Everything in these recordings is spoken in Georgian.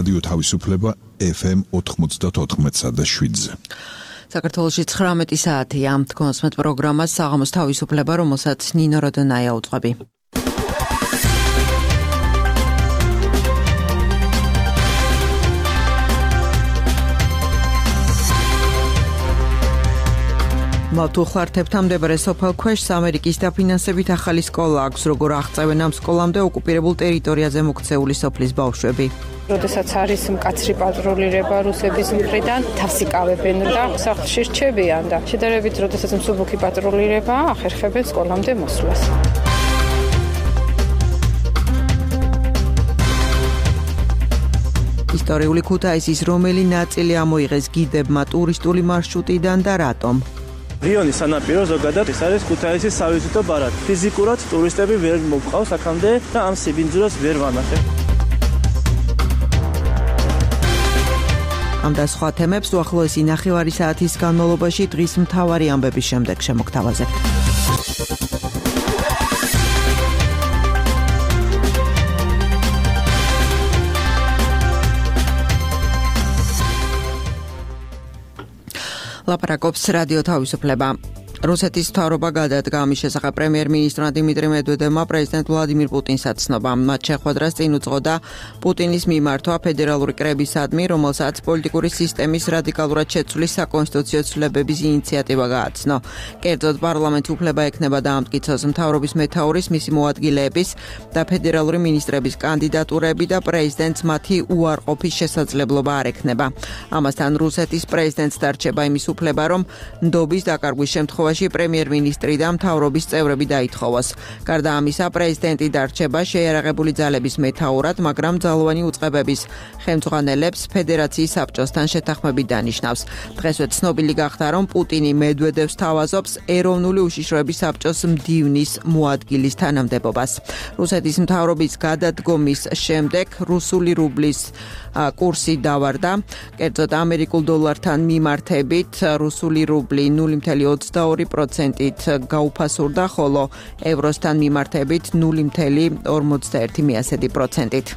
რადიო თავისუფლება FM 94.7-ზე. საქართველოში 19 საათია. თქვენსმეთ პროგრამას საღამოს თავისუფლება, რომელსაც ნინო როდონაია უწყები. მავთუხლართებთან მდებარე სოფელ ქვეშს ამერიკის დაფინანსებით ახალი სკოლა აქვს, როგორ აღწევენ ამ სკოლამდე ოკუპირებულ ტერიტორიაზე მოქცეული სოფლის ბავშვები. როდესაც არის მკაცრი პატრულირება რუსების მხრიდან, თავს იკავებენ და სახლში რჩებიან და შედარებით როდესაც მსუბუქი პატრულირება ახერხებენ სკოლამდე მოსვლას. ისტორიული ქუთაისის რომელი ნაწილი ამოიღეს გიდებმა ტურისტული მარშრუტიდან და რატომ? რიონის სანაპირო ზოგადად ეს არის ქუთაისის სავიზიტო ბარათი. ფიზიკურად ტურისტები ვერ მოგყავს აქამდე და ამ სიბინძურას ვერ ვანახებ. ამ და სხვა თემებს უახლოესი ნახევარი საათის განმავლობაში დღის მთავარი ამბების შემდეგ შემოგთავაზებთ. ლაპარაკობს რადიო თავისუფლება. რუსეთის მთავრობა გადადგა ამის შესახებ პრემიერ-მინისტრმა დიმიტრი მედვედევმა პრეზიდენტ ვლადიმირ პუტინს აცნობა. მათ შეხვედრას წინ უძღოდა პუტინის მიმართვა ფედერალური კრებისადმი, რომელსაც პოლიტიკური სისტემის რადიკალურად შეცვლის საკონსტიტუციო ცვლილებების ინიციატივა გააცნო. კერძოდ პარლამენტი უფლება ექნება დაამტკიცოს მთავრობის მეთაურის, მისი მოადგილეების და ფედერალური მინისტრების კანდიდატურები და პრეზიდენტს მათი უარყოფის შესაძლებლობა არ ექნება. ამასთან რუსეთის პრეზიდენტს დარჩება იმის უფლება, რომ ნდობის დაკარგვის შემთხვევაში პრემიერ-მინისტრი და მთავრობის წევრები დაითხოვოს. გარდა ამისა, პრეზიდენტი დარჩება შეიარაღებული ძალების მეთაურად, მაგრამ ძალოვანი უწყებების ხელმძღვანელებს ფედერაციის საბჭოსთან შეთანხმებით დანიშნავს. დღესვე ცნობილი გახდა, რომ პუტინი მედვედევს თავაზობს ეროვნული უშიშროების საბჭოს მდივნის მოადგილის თანამდებობას. რუსეთის მთავრობის გადადგომის შემდეგ რუსული რუბლის კურსი დავარდა. კერძოდ ამერიკულ დოლართან მიმართებით რუსული რუბლი 0.22%-ით გაუფასურდა, ხოლო ევროსთან მიმართებით 0.41%-ით.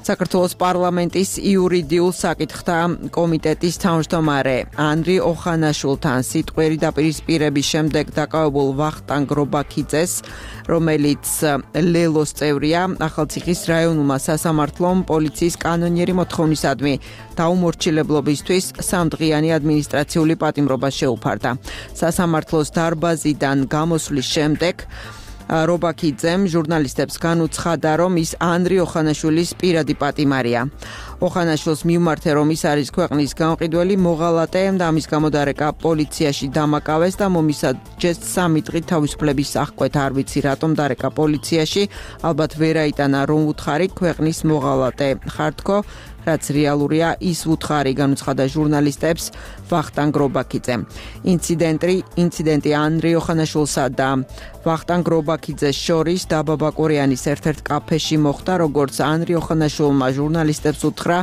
საქართველოს პარლამენტის იურიდიულ საკითხთა კომიტეტის თავმჯდომარე ანდრი ოხანაშვილთან სიტყვიერი დაპირისპირების შემდეგ დაკავებულ ვახტანგ რობაქიძეს, რომელიც ლელოს წევრია, ახალციხის რაიონულმა სასამართლომ პოლიციის კანონიერი მოთხოვნისადმი დაუმორჩილებლობისთვის 3 დღიანი ადმინისტრაციული პატიმრობა შეუფარდა. სასამართლოს დარბაზიდან გამოსვლის შემდეგ რობაქიძემ ჟურნალისტებს განუცხადა, რომ ის ანდრი ოხანაშვილის პირადი პატიმარია. ოხანაშვილს მიუმართე, რომ ის არის ქვეყნის გამყიდველი მოღალატე და ამის გამო დარეკა პოლიციაში დამაკავეს და მომისაჯეს 3 დღით თავისუფლების აღკვეთა. არ ვიცი რატომ დარეკა პოლიციაში, ალბათ ვერ აიტანა რომ უთხარი ქვეყნის მოღალატე ხართქო, რაც რეალურია ის უთხარი, განუცხადა ჟურნალისტებს ვახტანგ რობაქიძემ. ინციდენტი ანდრი ოხანაშვილსა და ვახტანგ რობაქიძეს შორის დაბა ბაკურიანის ერთ-ერთ კაფეში მოხდა, როგორც ანდრი ოხანაშვილმა ჟურნალისტებს უთხრა,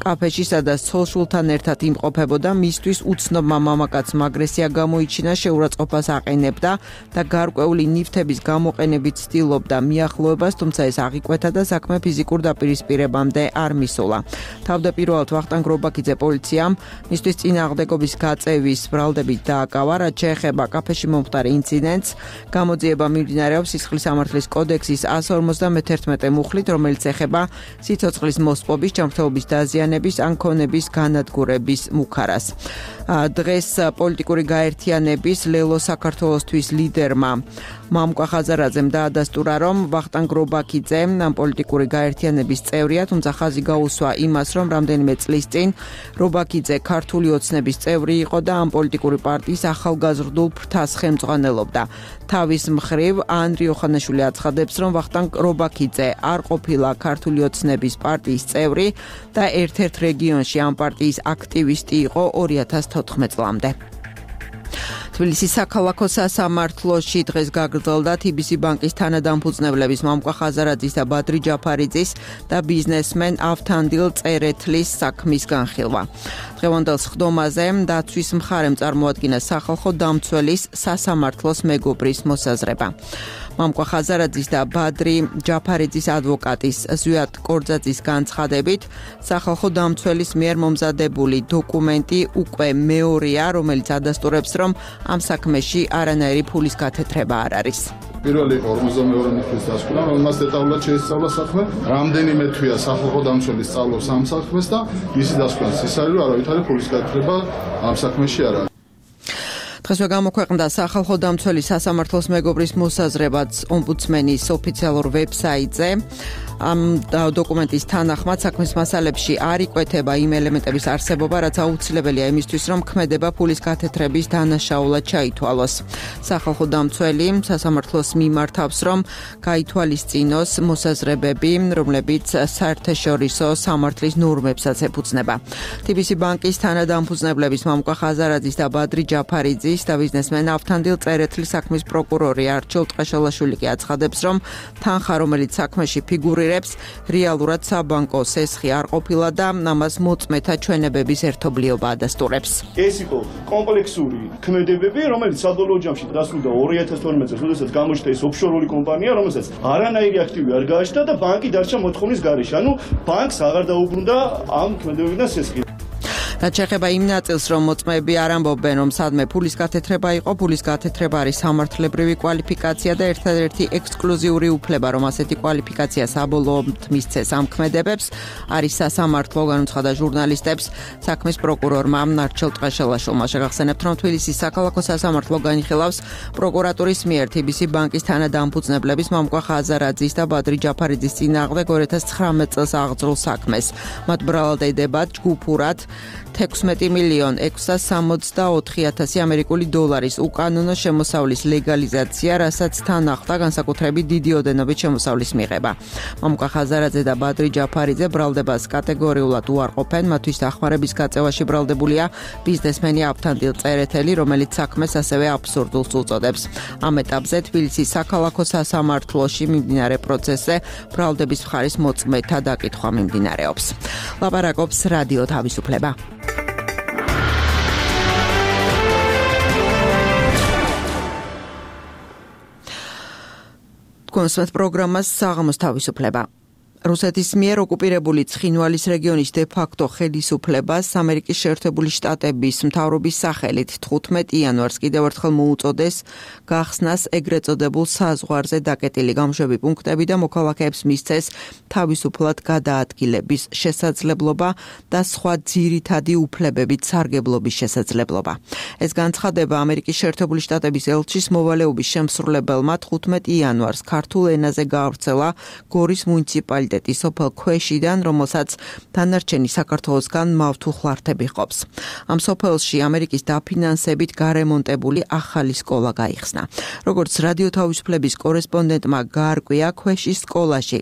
კაფეში სადაც ცოლ-შვილთან ერთად იმყოფებოდა, მისთვის უცნობმა მამაკაცმა აგრესია გამოიჩინა, შეურაცხყოფას აყენებდა და გარკვეული ნივთების გამოყენებით ცდილობდა მიახლოებას, თუმცა ეს აღიკვეთა და საქმე ფიზიკურ დაპირისპირებამდე არ მისულა. თავდაპირველად ვახტანგ რობაქიძე პოლიციამ მისთვის წინააღმდეგობის გაწევის ბრალდებით დააკავა, რაც შეეხება კაფეში მომხდარ ინციდენტს. გამოძიება მიმდინარეობს სისხლის სამართლის კოდექსის 151 მუხლით, რომელიც ეხება სიცოცხლის მოსპობის, ჯანმრთელობის დაზიანების ან ქონების განადგურების მუქარას. დღეს პოლიტიკური გაერთიანების ლელო საქართველოსთვის ლიდერმა მამკვა ხაზარაძემ დაადასტურა, რომ ვახტანგ რობაქიძე პოლიტიკური გაერთიანების წევრია, თუმცა ხაზი გაუსვა იმას, რომ რამდენიმე წლის წინ რობაქიძე ქართული ოცნების წევრი იყო და ამ პოლიტიკური პარტიის ახალგაზრდულ ფრთას ხელმძღვანელობდა. თავის მხრივ ანდრი ოხანაშვილი აცხადებს, რომ ვახტანგ რობაქიძე არ ყოფილა ქართული ოცნების პარტიის წევრი და ერთ-ერთ რეგიონში ამ პარტიის აქტივისტი იყო 2014 წლამდე. თბილისის საქალაქო სასამართლოში დღეს გაგრძელდა TBC ბანკის თანადამფუძნებლების მამუკა ხაზარაძის და ბადრი ჯაფარიძის და ბიზნესმენ ავთანდილ წერეთლის საქმის განხილვა. დღევანდელ სხდომაზე დაცვის მხარემ წარმოადგინა სახალხო დამცველის სასამართლოს მეგობრის მოსაზრება. მამუკა ხაზარაძის და ბადრი ჯაფარიძის ადვოკატის ზვიად კორძაძის განცხადებით, სახალხო დამცველის მიერ მომზადებული დოკუმენტი უკვე მეორეა, რომელიც ადასტურებს, რომ ამ საქმეში არანაირი ფულის გათეთრება არ არის. პირველი იყო 52 წლის დასკვნა, რომელმაც დეტალურად შეისწავლა საქმე. რამდენიმე თვეა სახალხო დამცველი სწავლობს ამ საქმეს და ისი დასკვნას ის არის, რომ არავითარი ფულის გათეთრება ამ საქმეში არ არის. დღესვე გამოქვეყნდა სახალხო დამცველი სასამართლოს მეგობრის მოსაზრებაც ომბუდსმენის ოფიციალურ ვებსაიტზე. ამ დოკუმენტის თანახმად საქმის მასალებში არ იკვეთება იმ ელემენტების არსებობა, რაც აუცილებელია იმისთვის, რომ ქმედება ფულის გათეთრების დანაშაულად ჩაითვალოს. სახალხო დამცველი სასამართლოს მიმართავს, რომ გაითვალისწინოს მოსაზრებები, რომლებიც საერთაშორისო სამართლის ნორმებსაც ეფუძნება. TBC ბანკის თანადამფუძნებლების მამუკა ხაზარაძის და ბადრი ჯაფარიძის და ბიზნესმენ ავთანდილ წერეთლის საქმის პროკურორი არჩილ ტყეშელაშვილი კი აცხადებს, რომ თანხა, რომელიც საქმეში ფიგურირებს, რეალურად საბანკო სესხი არ ყოფილა და ამას მოწმეთა ჩვენებების ერთობლიობა ადასტურებს. ეს იყო კომპლექსური ქმედებები, რომელიც საბოლოო ჯამში დასრულდა 2012 წელს, როდესაც გამოჩნდა ეს ოფშორული კომპანია, რომელსაც არანაირი აქტივი არ გააჩნდა და ბანკი დარჩა მოთხოვნის გარეშე. ანუ ბანკს აღარ დაუბრუნდა ამ ქმედებებიდან სესხი. რაც შეეხება იმ ნაწილს, რომ მოწმეები არ ამბობენ, რომ სადმე ფულის გათეთრება იყო, ფულის გათეთრება არის სამართლებრივი კვალიფიკაცია და ერთადერთი ექსკლუზიური უფლება, რომ ასეთი კვალიფიკაცია საბოლოოდ მისცეს ამ ქმედებებს, არის სასამართლო, განუცხადა ჟურნალისტებს საქმის პროკურორმა არჩილ ტყეშელაშვილმა. შეგახსენებთ, რომ თბილისის საქალაქო სასამართლო განიხილავს პროკურატურის მიერ TBC ბანკის თანადამფუძნებლების მამუკა ხაზარაძის და ბადრი ჯაფარიძის წინააღმდეგ 2019 წელს აღძრულ საქმეს. მათ ბრალდებათ ჯგუფურად 16,664,000 ამერიკული დოლარის უკანონო შემოსავლის ლეგალიზაცია, რასაც თან ახლდა განსაკუთრებით დიდი ოდენობით შემოსავლის მიღება. მამუკა ხაზარაძე და ბადრი ჯაფარიძე ბრალდებას კატეგორიულად უარყოფენ, მათთვის დახმარების გაწევაში ბრალდებულია ბიზნესმენი ავთანდილ წერეთელი, რომელიც საქმეს ასევე აბსურდულს უწოდებს. ამ ეტაპზე თბილისის საქალაქო სასამართლოში მიმდინარე პროცესზე ბრალდების მხარის მოწმეთა დაკითხვა მიმდინარეობს. ლაპარაკობს რადიო თავისუფლება. კონსვეთ პროგრამას საღამოს თავისუფლება. რუსეთის მიერ ოკუპირებული ცხინვალის რეგიონის დე-ფაქტო ხელისუფლებას ამერიკის შეერთებული შტატების მთავრობის სახელით 15 იანვარს კიდევ ერთხელ მოუწოდეს გახსნას ეგრეთ წოდებულ საზღვარზე დაკეტილი გამშვები პუნქტები და მოქალაქეებს მისცეს თავისუფლად გადაადგილების შესაძლებლობა და სხვა ძირითადი უფლებებით სარგებლობის შესაძლებლობა. ეს განცხადება ამერიკის შეერთებული შტატების ელჩის მოვალეობის შემსრულებელმა 15 იანვარს ქართულ ენაზე გაავრცელა გორის მუნიციპალიტეტის სოფელ ქვეშიდან, რომელსაც დანარჩენი საქართველოსგან მავთუხლართები ჰყოფს. ამ სოფელში ამერიკის დაფინანსებით გარემონტებული ახალი სკოლა გაიხსნა. როგორც რადიო თავისუფლების კორესპონდენტმა გაარკვია, ქვეშის სკოლაში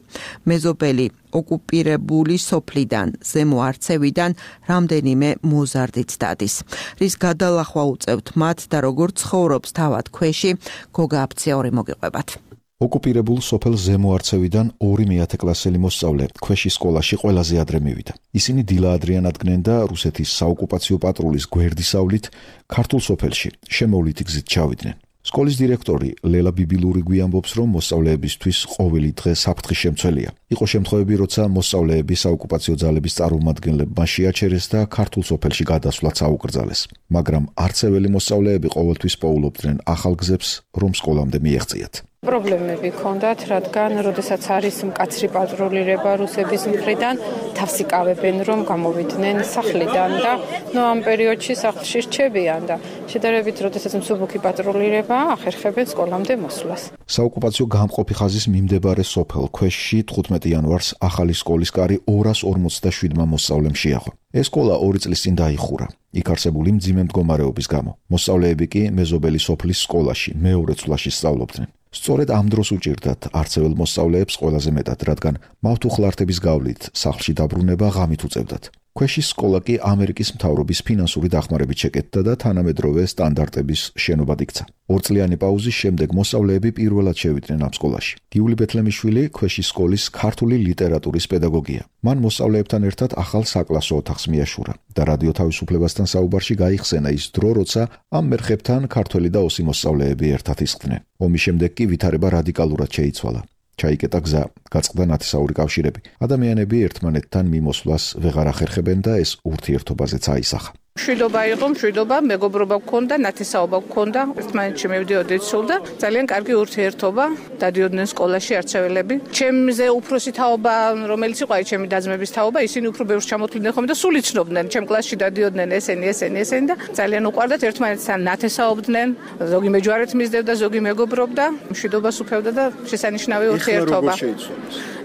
მეზობელი ოკუპირებული სოფლიდან, ზემო არცევიდან რამდენიმე მოზარდიც დადის. რის გადალახვა უწევთ მათ და როგორ ცხოვრობს თავად ქვეში, გოგა აფციური მოგიყვებათ. ოკუპირებულ სოფელ ზემო არცევიდან 2 მეათე კლასელი მოსწავლე ქვეშის სკოლაში ყველაზე ადრე მივიდა. ისინი დილა ადრიან ადგნენ და რუსეთის საოკუპაციო პატრულის გვერდისავლით ქართულ სოფელში შემოვლითი გზით ჩავიდნენ. სკოლის დირექტორი ლელა ბიბილური გვიამბობს, რომ მოსწავლეებისთვის ყოველი დღე საფრთხის შემცველია. იყო შემთხვევები, როცა მოსწავლეები საოკუპაციო ძალების წარმომადგენლებმა შეაჩერეს და ქართულ სოფელში გადასვლაც აუკრძალეს. მაგრამ არცეველი მოსწავლეები ყოველთვის პოულობდნენ ახალ გზებს, რომ სკოლამდე მიეღწიათ. პრობლემები ჰქონდათ, რადგან როდესაც არის მკაცრი პატრულირება რუსების მხრიდან, თავს იკავებენ, რომ გამოვიდნენ სახლიდან და ამ პერიოდში სახლში რჩებიან და შედარებით როდესაც მსუბუქი პატრულირება, ახერხებენ სკოლამდე მოსვლას. საოკუპაციო გამყოფი ხაზის მიმდებარე სოფელ ქვეშში 15 იანვარს ახალი სკოლის კარი 257-მა მოსწავლემ შეაღო. ეს სკოლა 2 წლის წინ დაიხურა. იქ არსებული მძიმე მდგომარეობის გამო. მოსწავლეები კი მეზობელი სოფლის სკოლაში მეორე წლაში სწავლობდნენ. სწორედ ამ დროს უჭირდათ არცეველ მოსწავლეებს ყველაზე მეტად, რადგან მავთუხლართების გავლით სახლში დაბრუნება ღამით უწევდათ. ქვეშის სკოლა კი ამერიკის მთავრობის ფინანსური დახმარებით შეკეთდა და თანამედროვე სტანდარტების შენობად იქცა. 2 წლიანი პაუზის შემდეგ მოსწავლეები პირველად შევიდნენ ამ სკოლაში. გიული ბეთლემიშვილი ქვეშის სკოლის ქართული ლიტერატურის პედაგოგია. მან მოსწავლეებთან ერთად ახალ საკლასო ოთახს მიაშურა და რადიო თავისუფლებასთან საუბარში გაიხსენა ის დრო, როცა ამ მერხებთან ქართველი და ოსი მოსწავლეები ერთად ისხდნენ. ომის შემდეგ კი ვითარება რადიკალურად შეიცვალა. ჩაიკეტა გზა, გაწყდა ნათესაური კავშირები. ადამიანები ერთმანეთთან მიმოსვლას ვეღარ ახერხებენ და ეს ურთიერთობაზეც აისახა. მშვიდობა იყო, მშვიდობა, მეგობრობა გქონდა, ნათესაობა გქონდა, ერთმანეთში მივდიოდით სულ და ძალიან კარგი ურთიერთობა, დადიოდნენ სკოლაში არჩეველები. ჩემზე უფროსი თაობა, რომელიც იყო ჩემი დაძმების თაობა, ისინი უფრო ბევრს ჩამოთვლიდნენ ხოლმე და სულ იცნობდნენ, ჩემ კლასში დადიოდნენ ესენი და ძალიან უყვარდათ ერთმანეთთან ნათესაობდნენ, ზოგი მეჯვარეთ მისდევდა, ზოგი მეგობრობდა, მშვიდობას უფევდა და შესანიშნავი ურთიერთობა.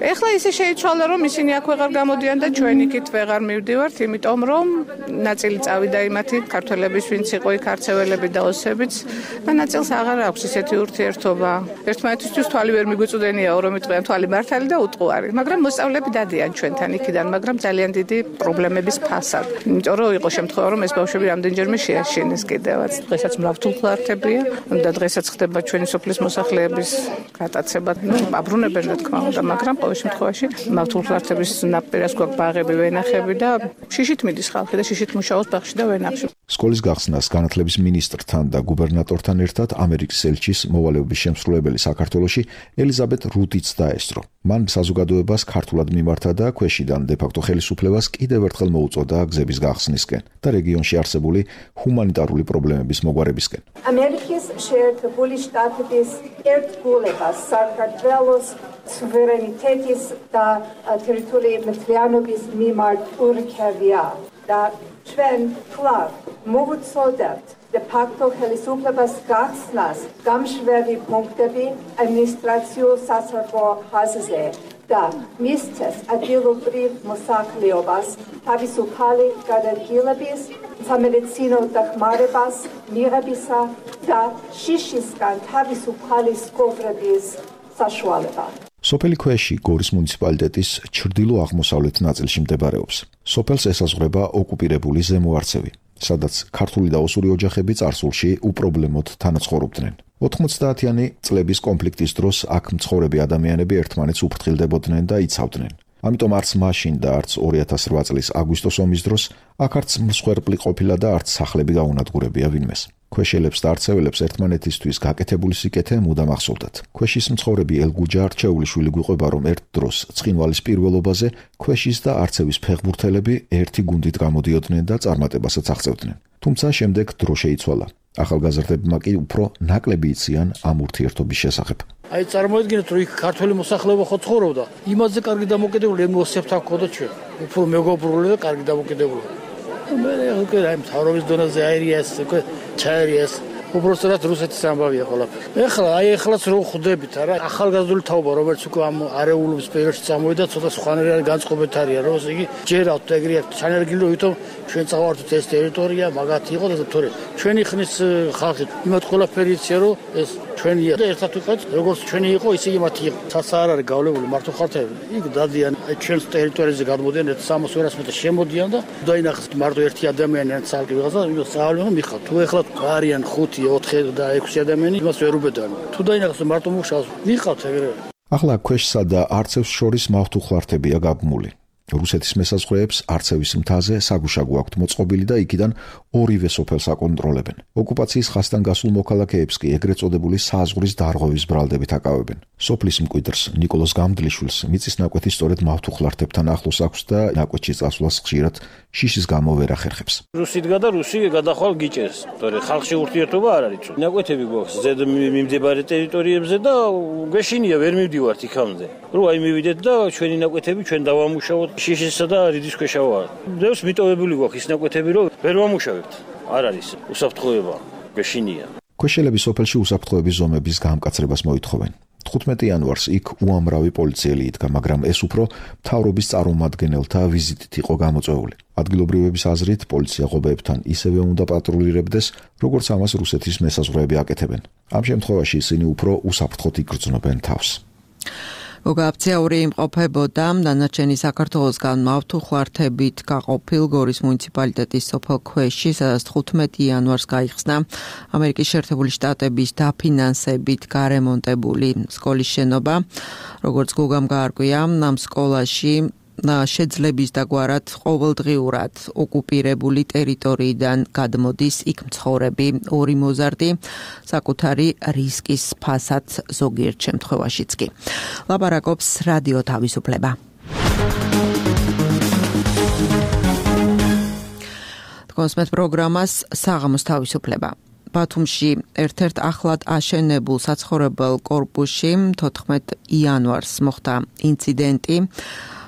ეხლა ისე შეიცვალა, რომ ისინი აქ ვეღარ გამოდიან და ჩვენ იქით ვეღარ მივდივართ, იმიტომ რომ ნაწილი წავიდა იმათი ქართველების, ვინც იყო იქ არჩეველები და ოსებიც და ნაწილს აღარ აქვს ისეთი ურთიერთობა. ერთმანეთისთვის თვალი ვერ მიგვიწვდენია, რომ იტყვიან თვალი მართალი და უტყუარი, მაგრამ მოსწავლეები დადიან ჩვენთან იქიდან, მაგრამ ძალიან დიდი პრობლემების ფასად. იმიტომ რომ იყო შემთხვევა, რომ ეს ბავშვები რამდენჯერმე შეაშინეს კიდევაც. დღესაც მრავთულხლართებია და დღესაც ხდება ჩვენი სოფლის მოსახლეების გატაცება. აბრუნებენ რა თქმა უნდა, მაგრამ ყოველ შემთხვევაში მრავთულხლართების ნაპირას გვაქვს ბაღები, ვენახები და შიშით მიდის ხალხი და შიშით მუშაობს ბაღში და ვენახში. სკოლის გახსნას განათლების მინისტრთან და გუბერნატორთან ერთად ამერიკის ელჩის მოვალეობის შემსრულებელი საქართველოში ელიზაბეთ რუდიც დაესწრო. მან საზოგადოებას ქართულად მიმართა და ქვეშიდან დე-ფაქტო ხელისუფლებას კიდევ ერთხელ მოუწოდა გზების გახსნისკენ და რეგიონში არსებული ჰუმანიტარული პრობლემების მოგვარებისკენ. ამერიკის შეერთებული შტატების ერთგულებას საქართველოს სუვერენიტეტის და ტერიტორიული მთლიანობის მიმართ ურჩევია და ჩვენ კვლავ მოვუწოდებთ დე-ფაქტო ხელისუფლებას გახსნას გამშვები პუნქტები ადმინისტრაციულ სასწავლო ხაზზე და მისცეს ადგილობრივ მოსახლეობას თავისუფალი გადადგილების, სამედიცინო დახმარებას მიღებისა და შიშისგან თავისუფალი სკოლების საშუალება. სოფელი ქვეში გორის მუნიციპალიტეტის ჩრდილო-აღმოსავლეთ ნაწილში მდებარეობს. სოფელს ესაზღვრება ოკუპირებული ზემო არცევი, სადაც ქართული და ოსური ოჯახები წარსულში უპრობლემოდ თანაცხოვრობდნენ. 90-იანი წლების კონფლიქტის დროს აქ მცხოვრები ადამიანები ერთმანეთს უფრთხილდებოდნენ და იცავდნენ. ამიტომ არც მაშინ და არც 2008 წლის აგვისტოს ომის დროს აქ არც მსხვერპლი ყოფილა და არც სახლები გაუნადგურებია ვინმეს. ქვეშელებს და არცეველებს ერთმანეთისთვის გაკეთებული სიკეთე მუდამ ახსოვდათ. ქვეშის მცხოვრები ელგუჯა რჩეულიშვილი გვიყვება, რომ ერთ დროს ცხინვალის პირველობაზე ქვეშის და არცევის ფეხბურთელები ერთი გუნდით გამოდიოდნენ და წარმატებასაც აღწევდნენ. თუმცა შემდეგ დრო შეიცვალა. ახალგაზრდებმა კი უფრო ნაკლები იციან ამ ურთიერთობის შესახებ. აი წარმოიდგინეთ, რომ იქ ქართული მოსახლეობა ხო ცხოვრობდა, იმაზე კარგი დამოკიდებული ემოციებთან ჰქონდა ჩვენ. უფრო მეგობრული და კარგი დამოკიდებული. მე უკვე აი მთავრობის დონეზე აერიას, უკვე ჩაერიას. უბრალოდ რუსეთის ამბავია ყველაფერი. ეხლაც რო ხვდებით, არა, ახალგაზრდული თაობა, რომელიც უკვე ამ არეულობის პერიოდში წამოვიდა, ცოტა სხვანაირი განწყობეთ არის, რომ იგი ჯერავთ ეგრე ჩანერგილი, ვითომ ჩვენ წავართ ეს ტერიტორია, მაგათ იყო და თორე ჩვენი ხნის ხალხი იმათ ყველაფერი იცია, რომ ეს ჩვენია და ერთად ვიყავთ, როგორც ჩვენი იყო, ისე იმათი იყო. საცა არ არის გავლებული მართლხალხები. იქ დადიან ჩვენს ტერიტორიაზე გადმოდიან 300-400 მეტრ შემოდიან და დაინახეთ მარტო ერთი ადამიანი ან ცალკე ვიღაცა, იმას წავალენ მიხავთ. თუ ეხლა არიან 5 4 და 6 ადამიანი იმას ვერ უბედან. თუ დაინახოს მარტო მუშაობს, ვიყავთ ეგრე. ახლა ქვეშსა და არცევს შორის მავთუხლართებია გაბმული. რუსეთის მესაზღვრეებს არცევის მთაზე საგუშაგო აქვთ მოწყობილი და იქიდან ორივე სოფელს აკონტროლებენ. ოკუპაციის ხასთან გასულ მოქალაქეებს კი ეგრეთ წოდებული საზღვრის დარღვევის ბრალდებით აკავებენ. სოფლის მკვიდრს ნიკოლოზ გამდლიშვილს მიწის ნაკვეთი სწორედ მავთუხლართებთან ახლოს აქვს და ნაკვეთში წასვლას ხშირად შიშის გამო ვერ ახერხებს. რუსიდგა და რუსი გადახვალ გიჭერს. თორე ხალხში ურთიერთობა არ არის. ნაკვეთები გვაქვს ზედ მიმდებარე ტერიტორიებზე და გვეშინია ვერ მივდივართ იქამდე. რო აი მივიდეთ და ჩვენი ნაკვეთები ჩვენ დავამუშავოთ. შიშისა და რიდის ქვეშა ვარ. დევს მიტოვებული გვაქვს ის ნაკვეთები, რომ ვერ ვამუშავებთ. არ არის უსაფრთხოება, გვეშინია. ქვეშელები სოფელში უსაფრთხოების ზომების გამკაცრებას მოითხოვენ. 15 იანვარს იქ უამრავი პოლიციელი იდგა, მაგრამ ეს უფრო მთავრობის წარმომადგენელთა ვიზიტით იყო გამოწვეული. ადგილობრივების აზრით, პოლიცია ღობეებთან ისევე უნდა პატრულირებდეს, როგორც ამას რუსეთის მესაზღვრეები აკეთებენ. ამ შემთხვევაში ისინი უფრო უსაფრთხოდ იგრძნობენ თავს. გოგაფცია ორი იმყოფებოდა დანარჩენი საქართველოსგან მავთუხლართებით გაყოფილ გორის მუნიციპალიტეტის სოფელ ქვეში, სადაც 15 იანვარს გაიხსნა ამერიკის შეერთებული შტატების დაფინანსებით გარემონტებული სკოლის შენობა. როგორც გოგამ გაარკვია, ამ სკოლაში შეძლების დაგვარად ყოველდღიურად ოკუპირებული ტერიტორიიდან გადმოდის იქ მცხოვრები ორი მოზარდი, საკუთარი რისკის ფასად ზოგიერთ შემთხვევაშიც კი. ლაპარაკობს რადიო თავისუფლება. კონსმეთ პროგრამას საღამოს თავისუფლება. ბათუმში ერთ-ერთ ახლად აშენებულ საცხოვრებელ კორპუსში 14 იანვარს მოხდა ინციდენტი,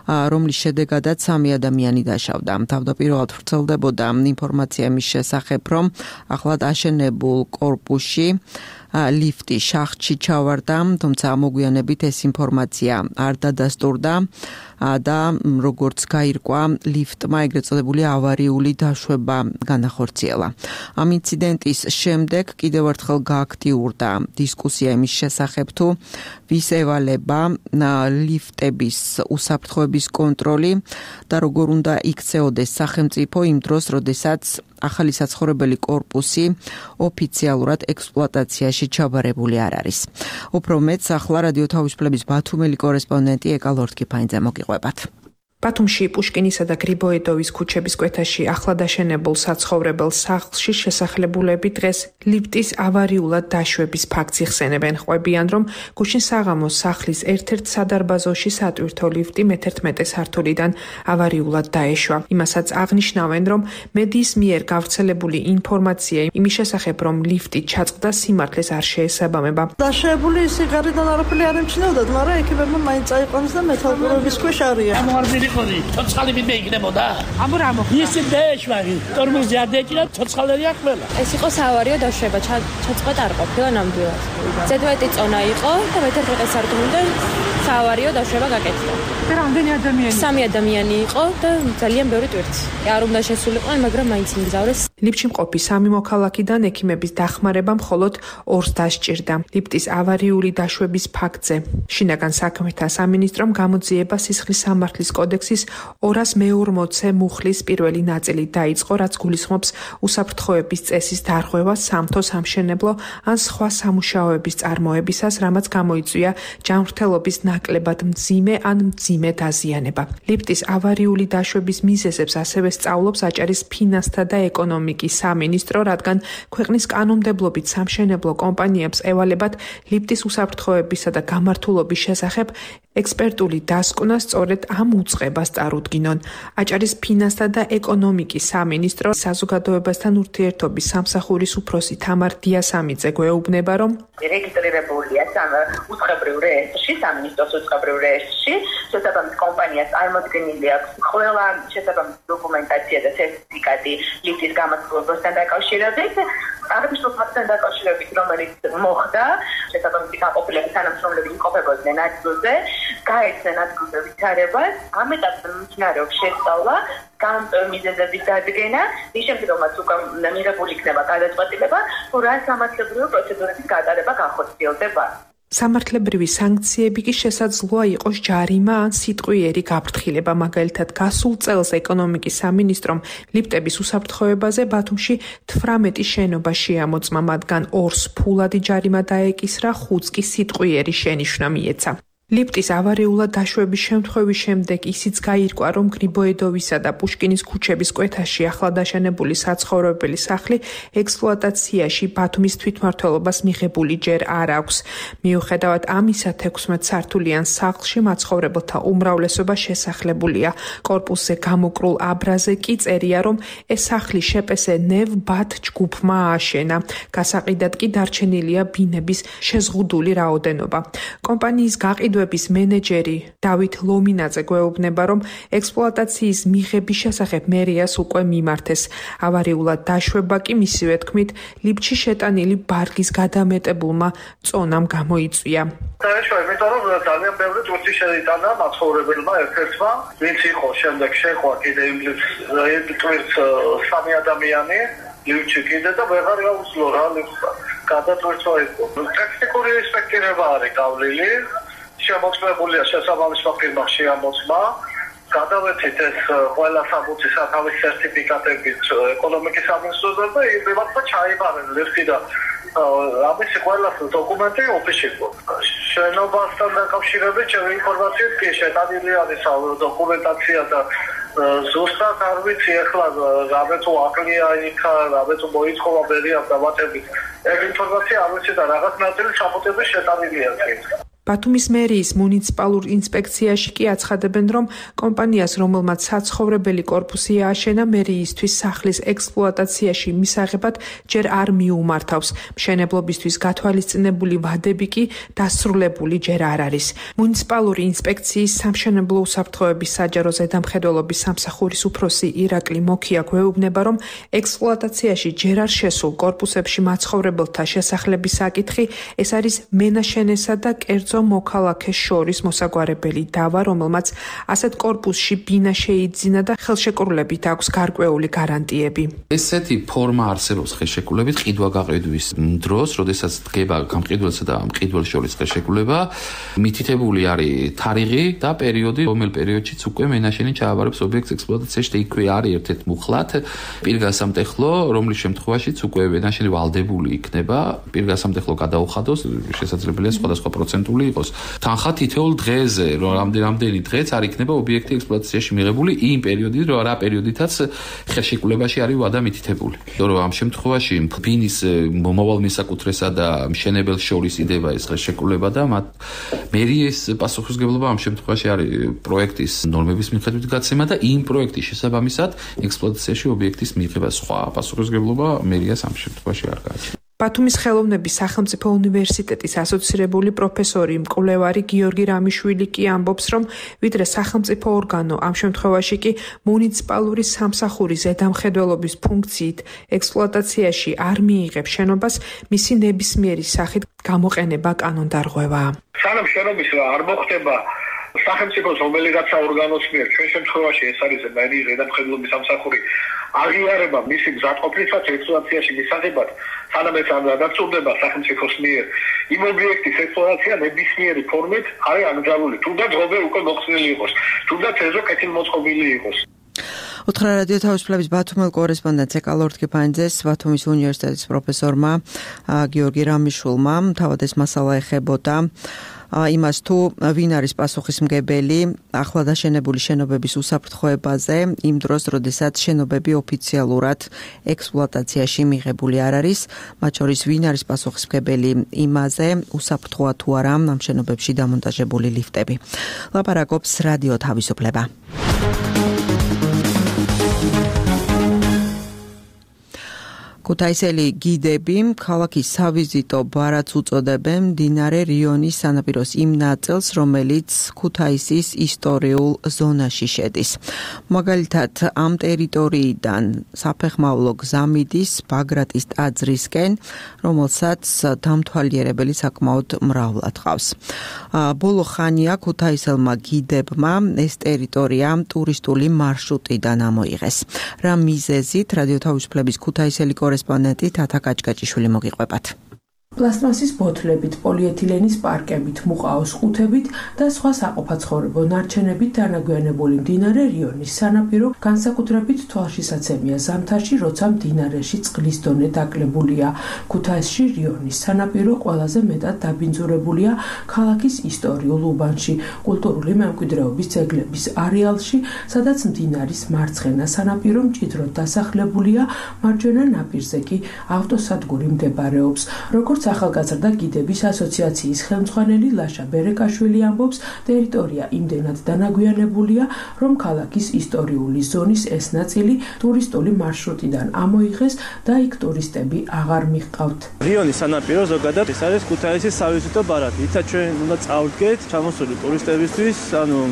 რომლის შედეგადაც 3 ადამიანი დაშავდა. თავდაპირველად ვრცელდებოდა ინფორმაცია მის შესახებ, რომ ახლად აშენებულ კორპუსში ლიფტი შახტში ჩავარდა, თუმცა მოგვიანებით ეს ინფორმაცია არ დადასტურდა და როგორც გაირკვა, ლიფტმა ეგრეთ წოდებული ავარიული დაშვება განახორციელა. ამ ინციდენტის შემდეგ კიდევ ერთხელ გააქტიურდა დისკუსია იმის შესახებ, თუ ვის ევალება ლიფტების უსაფრთხოების კონტროლი და როგორ უნდა იქცეოდეს სახელმწიფო იმ დროს, როდესაც ახალი საცხოვრებელი კორპუსი ოფიციალურად ექსპლუატაციაში ჩაბარებული არ არის. უფრო მეტს ახლა რადიო თავისუფლების ბათუმელი კორესპონდენტი ეკა ლორთქიფაინძე მოგიყვებათ. ბათუმში პუშკინისა და გრიბოედოვის ქუჩების კვეთაში ახლად აშენებულ საცხოვრებელ სახლში შესახლებულები დღეს ლიფტის ავარიულად დაშვების ფაქტს იხსენებენ. ყვებიან, რომ გუშინ საღამოს სახლის ერთ-ერთ სადარბაზოში სატვირთო ლიფტი მე-11 სართულიდან ავარიულად დაეშვა. იმასაც აღნიშნავენ, რომ მედიის მიერ გავრცელებული ინფორმაცია იმის შესახებ, რომ ლიფტი ჩაწყდა, სიმართლეს არ შეესაბამება. დაშვებული სიგარიდან არაფერი არ ემჩნეოდათ, მაგრამ ეკიპებმა მაინც წაიყვანეს და მეთვალყურების ქვეშ არიან. ცოცხალი ვინმე იქნებოდა? ის დაეშვარი, ტორმოზი არ დაეჭირა, ცოცხალია ყველა. ეს იყო საავარიო დაშვება, ჩაწყვეტა არ ყოფილა ნამდვილად. ზედმეტი წონა იყო და მე-11 სართულიდან საავარიო დაშვება გაკეთდა. და რამდენი ადამიანი? 3 ადამიანი იყო და ძალიან ბევრი ტვირთი. არ უნდა შესულიყვნენ, მაგრამ მაინც იმგზავრეს. ლიფტში მყოფი 3 მოქალაქიდან ექიმების დახმარება მხოლოდ 2-ს დასჭირდა. ლიფტის ავარიული დაშვების ფაქტზე შინაგან საქმეთა სამინისტრომ გამოძიება სისხლის სამართლის კოდექსის 240-ე მუხლის პირველი ნაწილი დაიწყო, რაც გულისხმობს უსაფრთხოების წესის დარღვევას სამთო სამშენებლო ან სხვა სამუშაოების წარმოებისას, რამაც გამოიწვია ჯანმრთელობის ნაკლებად მძიმე ან მძიმე დაზიანება. ლიფტის ავარიული დაშვების მიზეზებს ასევე სწავლობს აჭარის ფინანსთა და ეკონომიკის სამინისტრო, რადგან ქვეყნის კანონმდებლობით სამშენებლო კომპანიებს ევალებათ ლიფტის უსაფრთხოებისა და გამართულობის შესახებ ექსპერტული დასკვნა სწორედ ამ უწყებას წარუდგინონ. აჭარის ფინანსთა და ეკონომიკის სამინისტრო საზოგადოებასთან ურთიერთობის სამსახურის უფროსი თამარ დიასამიძე გვეუბნება, რომ რეგისტრირებულია უწყებრივ რეესტრში, სამინისტროს უწყებრივ რეესტრში, შესაბამის კომპანიას წარმოდგენილი აქვს ყველა შესაბამის დოკუმენტაცია და სერტიფიკატი ლიფტის გამართულებასთან დაკავშირებით. აღნიშნულ ფაქტთან დაკავშირებით, რომელიც მოხდა, შესაბამისი გაყოფილების თანამშრომლები იმყოფებოდნენ ადგილზე, გაეცნენ ადგილზე ვითარებას, ამ ეტაპზე მიმდინარეობს შესწავლა, გამომწვევი მიზეზების დადგენა, ის შემდგომაც უკვე მიღებული იქნება გადაწყვეტილება, თუ რა სამართლებრივი პროცედურების გატარება განხორციელდება. სამართლებრივი სანქციები კი შესაძლოა იყოს ჯარიმა ან სიტყვიერი გაფრთხილება. მაგალითად, გასულ წელს ეკონომიკის სამინისტრომ ლიფტების უსაფრთხოებაზე ბათუმში 18 შენობა შეამოწმა, მათგან 2-ს ფულადი ჯარიმა დაეკისრა, 5-ს კი სიტყვიერი შენიშვნა მიეცა. ლიფტის ავარიულად დაშვების შემთხვევის შემდეგ ისიც გაირკვა, რომ გრიბოედოვისა და პუშკინის ქუჩების კვეთაში ახლად აშენებული საცხოვრებელი სახლი ექსპლუატაციაში ბათუმის თვითმმართველობას მიღებული ჯერ არ აქვს. მიუხედავად ამისა, 16 სართულიან სახლში მაცხოვრებელთა უმრავლესობა შესახლებულია. კორპუსზე გამოკრულ აბრაზე კი წერია, რომ ეს სახლი შეპესე ნევ ბათ ჯგუფმა ააშენა. გასაყიდად კი დარჩენილია ბინების შეზღუდული რაოდენობა. კომპანიის გაყიდვების მენეჯერი დავით ლომინაძე გვეუბნება, რომ ექსპლუატაციის მიღების შესახებ მერიას უკვე მიმართეს. ავარიულად დაშვება კი მისივე თქმით ლიფტში შეტანილი ბარგის გადამეტებულმა წონამ გამოიწვია. დაეშვა, იმიტომ რომ ძალიან ბევრი ტვირთი შეიტანა მაცხოვრებელმა ერთ-ერთმა, ვინც იყო შემდეგ შეხვა კიდე იმ ტვირთს 3 ადამიანი ლიფტში კიდე და ვეღარ გაუსვლო რა ლიფტს გადატვირთვა იყო. ტექნიკური ინსპექტირება არის გავლილი. შემოწმებულია შესაბამისმა ფირმამ შეამოწმა გადავეთით ეს ყველა საბუთი სათავის სერტიფიკატებით ეკონომიკის სამინისტროსთან და იმებმა ჩაიბარეს ლიფტი და ამის ყველა დოკუმენტი ოფისში იყო. შენობასთან დაკავშირებით ჩემი ინფორმაციით კი შეტანილი არის დოკუმენტაცია და ზუსტად არ ვიცი ახლა რამე თუ აკლია იქა, რამე თუ მოითხოვა მერიამ დამატებით. ეს ინფორმაცია არ ვიცი და რაღაც ნაწილი საფუძველი შეტანილია კი. ბათუმის მერიის მუნიციპალურ ინსპექციაში კი აცხადებენ, რომ კომპანიას, რომელმაც საცხოვრებელი კორპუსი ააშენა, მერიისთვის სახლის ექსპლუატაციაში მისაღებად ჯერ არ მიუმართავს. მშენებლობისთვის გათვალისწინებული ვადები კი დასრულებული ჯერ არ არის. მუნიციპალური ინსპექციის სამშენებლო უსაფრთხოების საჯარო ზედამხედველობის სამსახურის უფროსი ირაკლი მოქია გვეუბნება, რომ ექსპლუატაციაში ჯერ არ შესულ კორპუსებში მაცხოვრებელთა შესახლების საკითხი ეს არის მენაშენესა და კერძო მოქალაქეს შორის მოსაგვარებელი დავა, რომელმაც ასეთ კორპუსში ბინა შეიძინა და ხელშეკრულებით აქვს გარკვეული გარანტიები. ესეთი ფორმა არსებობს ხელშეკრულებით ყიდვა-გაყიდვის დროს, როდესაც დგება გამყიდველსა და მყიდველს შორის ხელშეკრულება, მითითებული არის თარიღი და პერიოდი, რომელ პერიოდშიც უკვე მენაშენი ჩააბარებს ობიექტს ექსპლუატაციაში და იქვე არის ერთ-ერთ მუხლად პირგასამტეხლო, რომლის შემთხვევაშიც უკვე მენაშენი ვალდებული იქნება, პირგასამტეხლო გადაუხადოს, შესაძლებელია სხვადასხვა პროცენტული იყოს. თანხა თითოეულ დღეზე, რომ რამდენი დღეც არ იქნება ობიექტი ექსპლუატაციაში მიღებული იმ პერიოდით, რა პერიოდითაც ხელშეკრულებაში არის ვადა მითითებული. რომ ამ შემთხვევაში ბინის მომავალ მესაკუთრესა და მშენებელს შორის იდება ეს ხელშეკრულება და მათ მერიის პასუხისმგებლობა ამ შემთხვევაში არის პროექტის ნორმების მიხედვით გაცემა და იმ პროექტის შესაბამისად ექსპლუატაციაში ობიექტის მიღება. სხვა პასუხისმგებლობა მერიას ამ შემთხვევაში არ გააჩნია. ბათუმის ხელოვნების სახელმწიფო უნივერსიტეტის ასოცირებული პროფესორი მკვლევარი გიორგი რამიშვილი კი ამბობს, რომ ვიდრე სახელმწიფო ორგანო ამ შემთხვევაში კი მუნიციპალური სამსახურის ზედამხედველობის ფუნქციით ექსპლუატაციაში არ მიიღებს შენობას, მისი ნებისმიერი სახით გამოყენება კანონდარღვევაა. სანამ შენობის არ მოხდება სახელმწიფოს რომელიღაცა ორგანოს მიერ, ჩვენ შემთხვევაში ეს არის მერიის ზედამხედველობის სამსახური, აღიარება მისი გზატყოფისას ექსპლუატაციაში მისაღებად, სანამ ეს არ დაწურდება სახელმწიფოს მიერ, იმ ობიექტის ექსპლუატაცია ნებისმიერი ფორმით არის აკრძალული, თუნდაც ღობე უკვე მოხსნილი იყოს, თუნდაც ეზო კეთილმოწყობილი იყოს. უთხრა რადიო თავისუფლების ბათუმელ კორესპონდენტს ეკალორთკიფანძეს ბათუმის უნივერსიტეტის პროფესორმა გიორგი რამიშვილმა თავად ეს მასალა ეხებოდა იმას თუ ვინ არის პასუხისმგებელი ახლა დაშენებული შენობების უსაფრთხოებაზე იმ დროს, როდესაც შენობები ოფიციალურად ექსპლუატაციაში მიღებული არ არის, მათ შორის ვინ არის პასუხისმგებელი იმაზე, უსაფრთხოა თუ არა ამ შენობებში დამონტაჟებული ლიფტები. ლაპარაკობს რადიო თავისუფლება. ქუთაისელი გიდები ქალაქის სავიზიტო ბარათს უწოდებენ მდინარე რიონის სანაპიროს იმ ნაწილს, რომელიც ქუთაისის ისტორიულ ზონაში შედის. მაგალითად, ამ ტერიტორიიდან საფეხმავლო გზა მიდის ბაგრატის ტაძრისკენ, რომელსაც დამთვალიერებელი საკმაოდ მრავლად ჰყავს. ბოლო ხანია ქუთაისელმა გიდებმა ეს ტერიტორია ტურისტული მარშრუტიდან ამოიღეს. რა მიზეზით რადიო თავისუფლების ქუთაისელი კორესპონდენტი თათა კაჭკაჭიშვილი მოგიყვებათ. პლასტმასის ბოთლებით, პოლიეთილენის პარკებით, მუყაოს ყუთებით და სხვა საყოფაცხოვრებო ნარჩენებით დანაგვიანებული მდინარე რიონის სანაპირო განსაკუთრებით თვალშისაცემია ზამთარში, როცა მდინარეში წყლის დონე დაკლებულია. ქუთაისში რიონის სანაპირო ყველაზე მეტად დაბინძურებულია ქალაქის ისტორიულ უბანში, კულტურული მემკვიდრეობის ძეგლების არეალში, სადაც მდინარის მარცხენა სანაპირო მჭიდროდ დასახლებულია, მარჯვენა ნაპირზე კი ავტოსადგური მდებარეობს. როგორც ახალგაზრდა გიდების ასოციაციის ხელმძღვანელი ლაშა ბერეკაშვილი ამბობს, ტერიტორია იმდენად დანაგვიანებულია, რომ ქალაქის ისტორიული ზონის ეს ნაწილი ტურისტული მარშრუტიდან ამოიღეს და იქ ტურისტები აღარ მიჰყავთ. რიონის სანაპირო ზოგადად ეს არის ქუთაისის სავიზიტო ბარათი. იცით ჩვენ უნდა წავდგეთ ჩამოსული ტურისტებისთვის,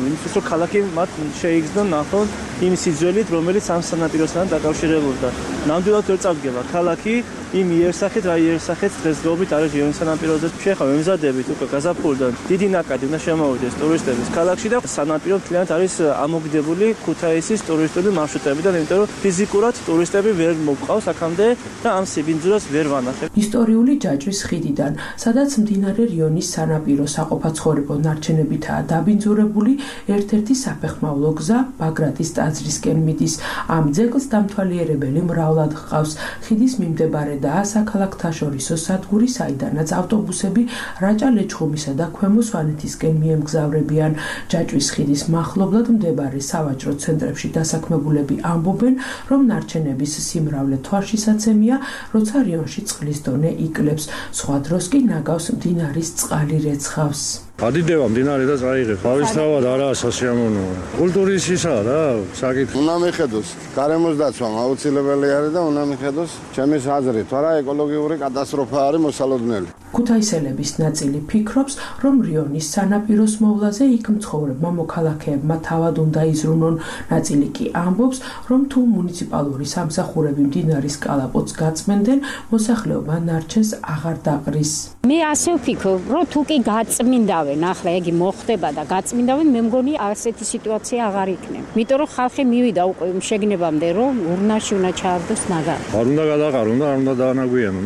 იმისთვის რომ ქალაქი მათ შეიგრძნონ ნახონ იმ სიძველით, რომელიც ამ სანაპიროსთან დაკავშირებულია. ნამდვილად ვერ წავდგება ქალაქი იმ იერსახით, რა იერსახით დღესდღეობით მეთაურობით არის რიონის სანაპიროზე. შეხა მემზადებით უკვე გაზაფხულიდან დიდი ნაკადი უნდა შემოვიდეს ტურისტების ქალაქში და სანაპირო მთლიანად არის ამოგდებული ქუთაისის ტურისტული მარშრუტებიდან, იმიტომ რომ ფიზიკურად ტურისტები ვერ მოგყავს აქამდე და ამ სიბინძურას ვერ ვანახებ. ისტორიული ჯაჭვის ხიდიდან, სადაც მდინარე რიონის სანაპირო საყოფაცხოვრებო ნარჩენებითაა დაბინძურებული, ერთ-ერთი საფეხმავლო გზა ბაგრატის ტაძრისკენ მიდის. ამ ძეგლს დამთვალიერებელი მრავლად ჰყავს. ხიდის მიმდებარედაა საქალაქთაშორისო სადგური, საიდანაც ავტობუსები რაჭა-ლეჩხუმისა და ქვემო სვანეთისკენ მიემგზავრებიან. ჯაჭვის ხიდის მახლობლად მდებარე სავაჭრო ცენტრებში დასაქმებულები ამბობენ, რომ ნარჩენების სიმრავლე თვალშისაცემია, როცა რიონში წყლის დონე იკლებს. სხვა დროს კი ნაგავს მდინარის წყალი რეცხავს. ადიდება მდინარე და წაიღებს. თავისთავად არაა სასიამოვნოა. კულტურის ისაა რა, საკითხი. უნდა მიხედოს, გარემოს დაცვა აუცილებელი არის და უნდა მიხედოს ჩემის აზრით, არა ეკოლოგიური კატასტროფა არის მოსალოდნელი. ქუთაისელების ნაწილი ფიქრობს, რომ რიონის სანაპიროს მოვლაზე იქ მცხოვრებმა მოქალაქეებმა თავად უნდა იზრუნონ. ნაწილი კი ამბობს, რომ თუ მუნიციპალური სამსახურები მდინარის კალაპოტს გაწმენდნენ, მოსახლეობა ნარჩენს აღარ დაყრის. მე ასე ვფიქრობ, რომ თუ კი გაწმინდავენ, ახლა იგი მოხდება და გაწმინდავენ, მე მგონი ასეთი სიტუაცია აღარ იქნება. იმიტომ რომ ხალხი მივიდა უკვე შეგნებამდე, რომ ურნაში უნდა ჩააგდოს ნაგარი. არ უნდა გადაყარო, არ უნდა დაანაგვიანო,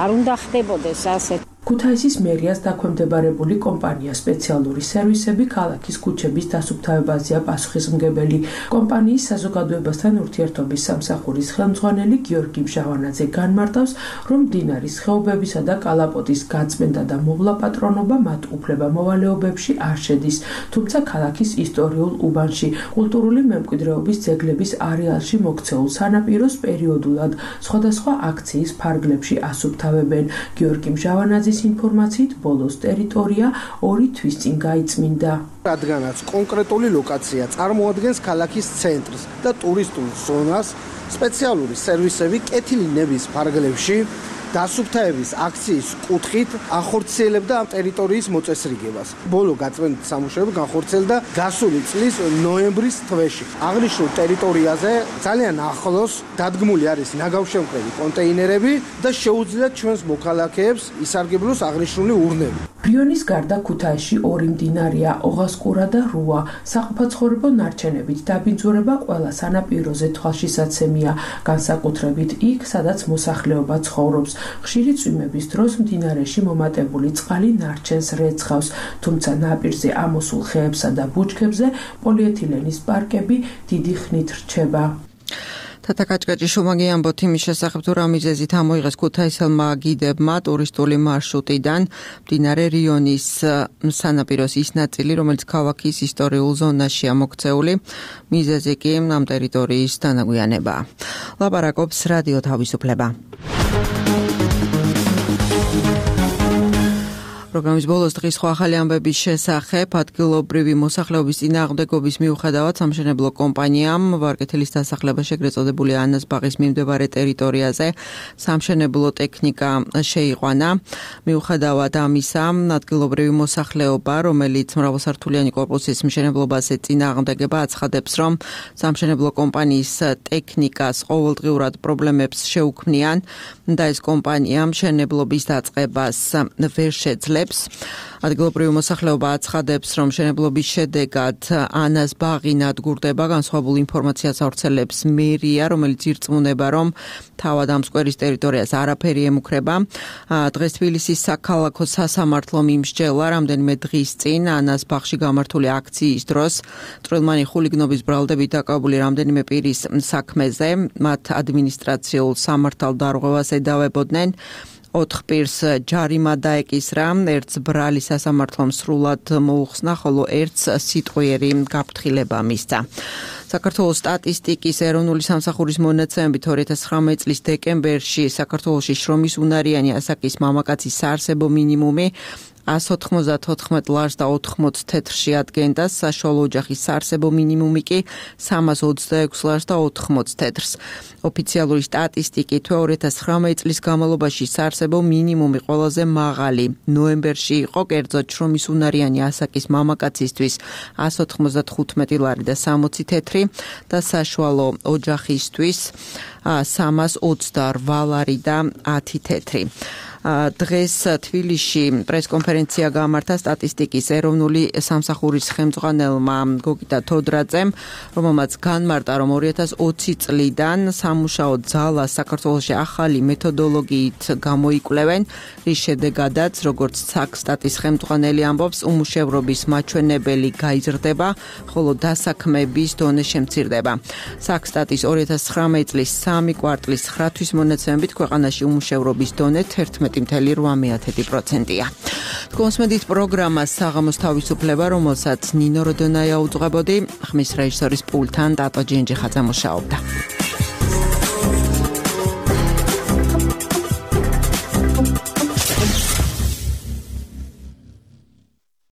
არ უნდა ხდებოდეს ასე. ქუთაისის მერიას დაქვემდებარებული კომპანია სპეციალური სერვისები ქალაქის ქუჩების დასუფთავებაზეა პასუხისმგებელი. კომპანიის საზოგადოებასთან ურთიერთობის სამსახურის ხელმძღვანელი გიორგი მჟავანაძე განმარტავს, რომ მდინარის ხეობებისა და კალაპოტის გაწმენდა და მოვლაპატრონობა მათ უფლება-მოვალეობებში არ შედის, თუმცა ქალაქის ისტორიულ უბანში კულტურული მემკვიდრეობის ძეგლების არეალში მოქცეულ სანაპიროს პერიოდულად სხვადასხვა აქციის ფარგლებში ასუფთავებენ. გიორგი მჟავანაძე ინფორმაციით ბოლოს ტერიტორია 2 თვის წინ გაიწმინდა. რადგანაც კონკრეტული ლოკაცია წარმოადგენს ქალაქის ცენტრს და ტურისტულ ზონას, სპეციალური სერვისები კეთილი ნების ფარგლებში დასუფთავების აქციის კუთხით ახორციელებდა ამ ტერიტორიის მოწესრიგებას. ბოლო გაწმენდით სამუშაოები განხორციელდა გასული წლის ნოემბრის თვეში. აღნიშნულ ტერიტორიაზე ძალიან ახლოს დადგმული არის ნაგავშემკრები კონტეინერები და შეუძლიათ ჩვენს მოქალაქეებს ისარგებლოს აღნიშნული ურნები. რიონის გარდა ქუთაისში 2 მდინარეა, ოღასკურა და რუა. საყოფაცხოვრებო ნარჩენებით დაბინძურება ყველა სანაპიროზე თვალშისაცემია, განსაკუთრებით იქ, სადაც მოსახლეობა ცხოვრობს. ხშირი წვიმების დროს მდინარეში მომატებული წყალი ნარჩენს რეცხავს, თუმცა ნაპირზე ამოსულ ხეებსა და ბუჩქებზე პოლიეთილენის პარკები დიდი ხნით რჩება. თათა კაჭკაჭი შუმაგი ამბობთ იმის შესახებ, თუ რა მიზეზით ამოიღეს ქუთაისელმა გიდებმა ტურისტული მარშრუტიდან მდინარე რიონის სანაპიროს ის ნაწილი, რომელიც ქალაქის ისტორიულ ზონაშია მოქცეული, მიზეზი კი ამ ტერიტორიის დანაგვიანებაა. ლაპარაკობს რადიო თავისუფლება. პროგრამის ბოლოს დღის სხვა ახალი ამბების შესახებ ადგილობრივი მოსახლეობის წინააღმდეგობის მიუხედავად სამშენებლო კომპანიამ ვარკეთილის დასახლება შეგრეთ წოდებული ანას ბაღის მიმდებარე ტერიტორიაზე სამშენებლო ტექნიკა შეიყვანა. მიუხედავად ამისა, ადგილობრივი მოსახლეობა, რომელიც მრავალსართულიანი კორპუსის მშენებლობას წინააღმდეგება, აცხადებს, რომ სამშენებლო კომპანიის ტექნიკას ყოველდღიურად პრობლემებს შეუქმნიან და ეს კომპანია მშენებლობის დაწყებას ვერ შეძლებს. ადგილობრივი მოსახლეობა აცხადებს, რომ მშენებლობის შედეგად ანას ბაღი ნადგურდება, განსხვავებულ ინფორმაციას ავრცელებს მერია, რომელიც ირწმუნება, რომ თავად ამ სკვერის ტერიტორიას არაფერი ემუქრება. დღეს თბილისის საქალაქო სასამართლომ იმსჯელა რამდენიმე დღის წინ ანას ბაღში გამართული აქციის დროს წვრილმანი ხულიგნობის ბრალდებით დაკავებული რამდენიმე პირის საქმეზე, მათ ადმინისტრაციულ სამართალ დარღვევას ედავებოდნენ. 4 პირს ჯარიმა დაეკისრა, ერთს ბრალი სასამართლომ სრულად მოუხსნა, ხოლო ერთს სიტყვიერი გაფრთხილება მისცა. საქართველოს სტატისტიკის ეროვნული სამსახურის მონაცემებით 2019 წლის დეკემბერში საქართველოში შრომის უნარიანი ასაკის მამაკაცის საარსებო მინიმუმი 194 ლარს და 80 თეთრში ადგენდა, საშუალო ოჯახის საარსებო მინიმუმი კი 326 ლარს და 80 თეთრს. ოფიციალური სტატისტიკით 2019 წლის განმავლობაში საარსებო მინიმუმი ყველაზე მაღალი ნოემბერში იყო, კერძოდ შრომის უნარიანი ასაკის მამაკაცისთვის 195 ლარი და 60 თეთრი და საშუალო ოჯახისთვის 328 ლარი და 10 თეთრი. დღეს თბილისში პრესკონფერენცია გაამართა სტატისტიკის ეროვნული სამსახურის ხელმძღვანელმა გოგიტა თოდრაძემ, რომელმაც განმარტა, რომ 2020 წლიდან სამუშაო ძალას საქართველოში ახალი მეთოდოლოგიით გამოიკვლევენ, რის შედეგადაც, როგორც საქსტატის ხელმძღვანელი ამბობს, უმუშევრობის მაჩვენებელი გაიზრდება, ხოლო დასაქმების დონე შემცირდება. საქსტატის 2019 წლის 3 კვარტლის 9 თვის მონაცემებით ქვეყანაში უმუშევრობის დონე 11.8%-ია. თქვენს მედით პროგრამა საღამოს თავისუფლება, რომელსაც ნინო როდონაია უძღვებოდი, ხმის რეჟისორის პულტთან ტატო ჯენჯიხაძე მუშაობდა.